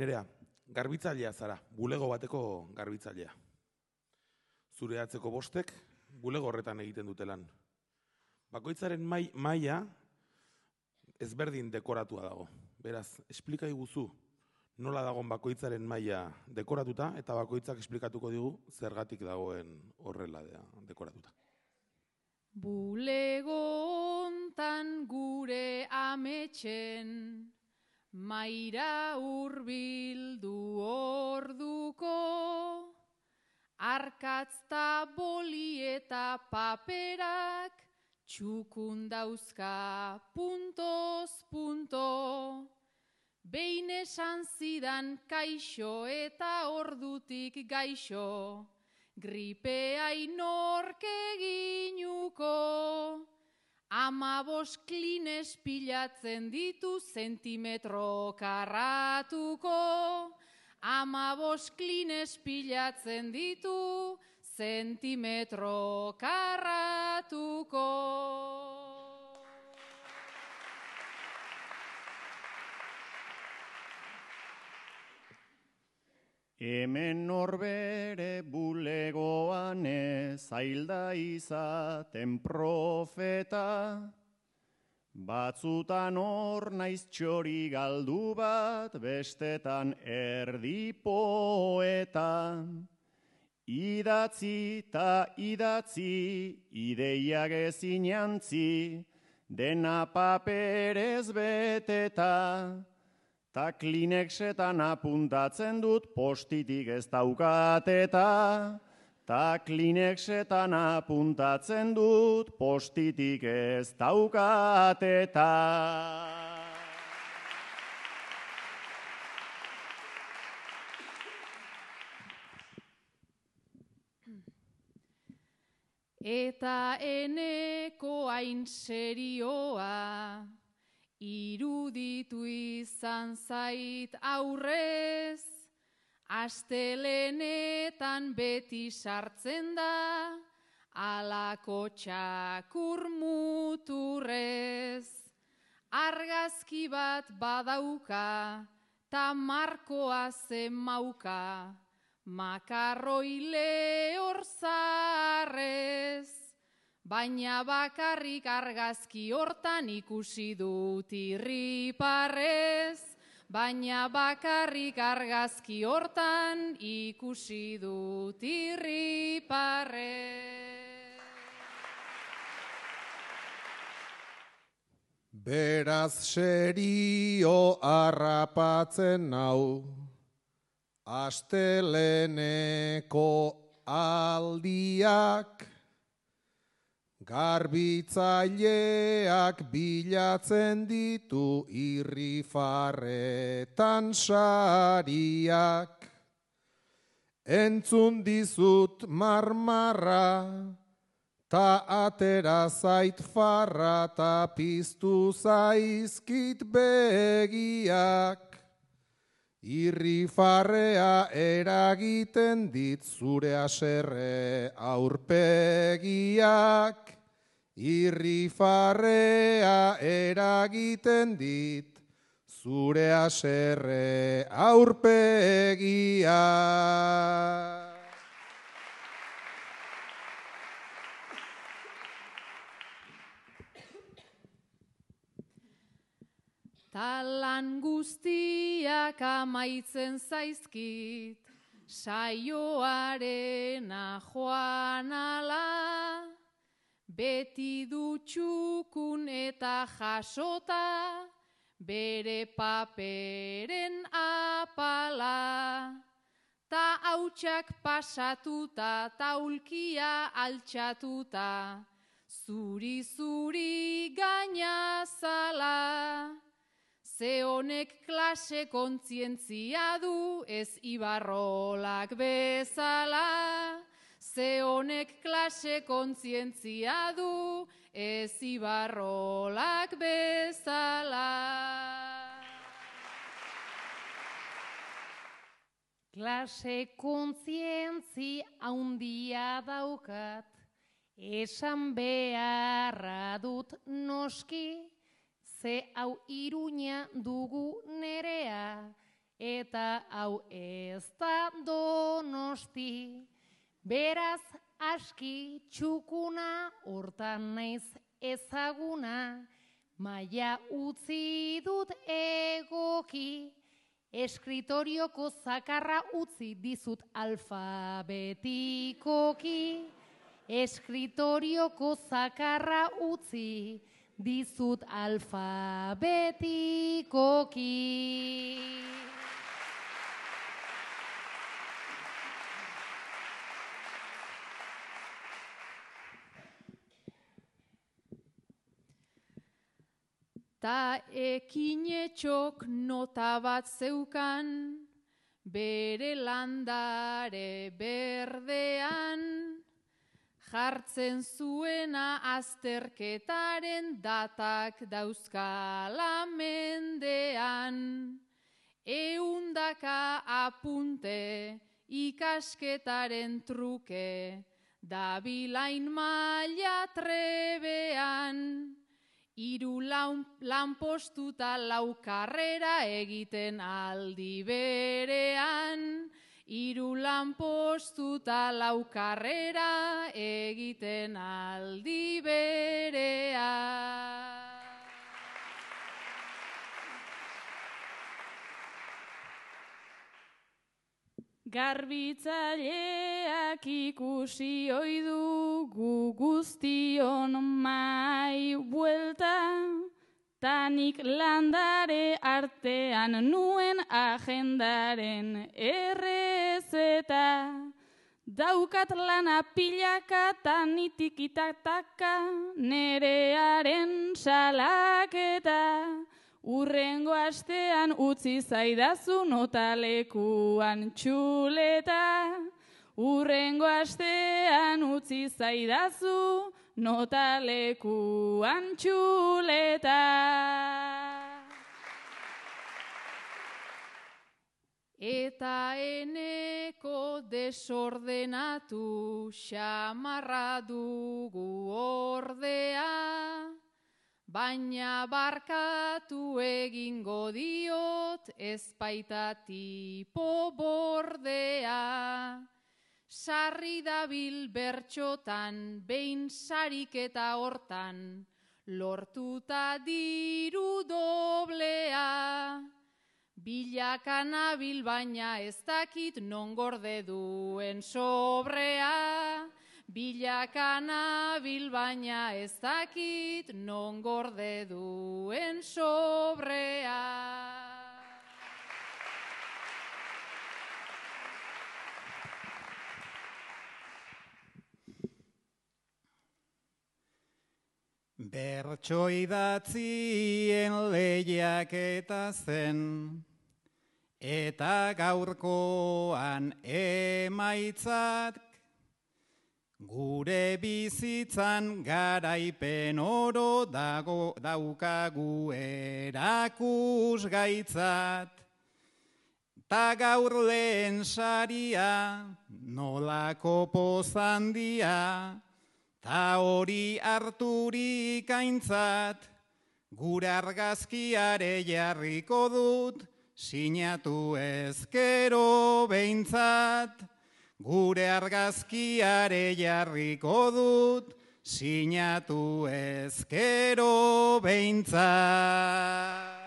Nerea, garbitzailea zara, bulego bateko garbitzailea. Zure atzeko bostek, bulego horretan egiten dute lan. Bakoitzaren maila ezberdin dekoratua dago. Beraz, esplika iguzu nola dagoen bakoitzaren maila dekoratuta, eta bakoitzak esplikatuko digu zergatik dagoen horrela dekoratuta. Bulego hontan gure ametxen, maira hurbildu orduko, arkatzta boli eta paperak, txukun dauzka puntoz punto. Behin esan zidan kaixo eta ordutik gaixo, gripea inork eginuko. 15 klines pilatzen ditu zentimetro karratuko. 15 klines pilatzen ditu zentimetro karratuko. Hemen norbere bulegoan zailda izaten profeta, batzutan hor naiz txori galdu bat, bestetan erdi poeta. Idatzi ta idatzi, ideiak ezin jantzi, dena paperez beteta. Ta Kleenexetan apuntatzen dut postitik ez daukateta. Ta Kleenexetan apuntatzen dut postitik ez daukateta. Eta eneko hain serioa, iruditu izan zait aurrez, astelenetan beti sartzen da, alako txakur muturrez. Argazki bat badauka, ta markoa zemauka, makarroi lehor zaharrez. Baina bakarrik argazki hortan ikusi dut irriparrez. Baina bakarrik argazki hortan ikusi dut irriparrez. Beraz serio harrapatzen nau, asteleneko aldiak, garbitzaileak bilatzen ditu irrifarretan sariak. Entzun dizut marmarra, ta atera zait farra, ta piztu zaizkit begiak. Irrifarrea eragiten dit zure haserre aurpegiak. Irrifarrea eragiten dit zure haserre aurpegiak. Talan guztiak amaitzen zaizkit, saioarena joan ala, beti dutxukun eta jasota, bere paperen apala. Ta hautsak pasatuta, taulkia altxatuta, zuri-zuri gainazala. Ze honek klase kontzientzia du, ez Ibarrolak bezala. Ze honek klase kontzientzia du, ez Ibarrolak bezala. Klase kontzientzi handia daukat, esan beharra dut noski, ze hau Iruña dugu nerea, eta hau ez da Donosti, beraz aski txukuna, hortan naiz ezaguna, maila utzi dut egoki, eskritorioko zakarra utzi dizut alfabetikoki, eskritorioko zakarra utzi dizut alfabetikoki. Ta ekinetxok nota bat zeukan, bere landare berdean, jartzen zuena azterketaren datak dauzkala mendean. 100 apunte ikasketaren truke, dabilain maila trebean. 3 lanpostuta 4 karrera egiten aldi berean. 3 lanpostuta 4 karrera egiten aldi berean. Garbitzaileak ikusi ohi dugu guztion mai buelta, tanik landare artean nuen agendaren errezeta. Daukat lana pilaka tanitik itataka, nerearen salaketa. Urrengo astean utzi zaidazu notalekuan txuleta. Urrengo astean utzi zaidazu notalekuan txuleta. Eta eneko desordenatu xamarra dugu ordea, baina barkatu egingo diot ezpaita tipo bordea. Sarri dabil bertxotan, behin sariketa hortan, lortuta diru doblea. Bilaka nabil baina ez dakit non gorde duen sobrea. Bilaka nabil baina ez dakit non gorde duen sobrea. Bertso idatzien lehiaketa zen, eta gaurkoan emaitzak, gure bizitzan garaipen oro daukagu erakusgaitzat. Ta gaur lehen saria, nolako pozandia, ta hori harturik aintzat, gure argazkiare jarriko dut, sinatu ezkero behintzat. Gure argazkiare jarriko dut, sinatu ezkero behintzat.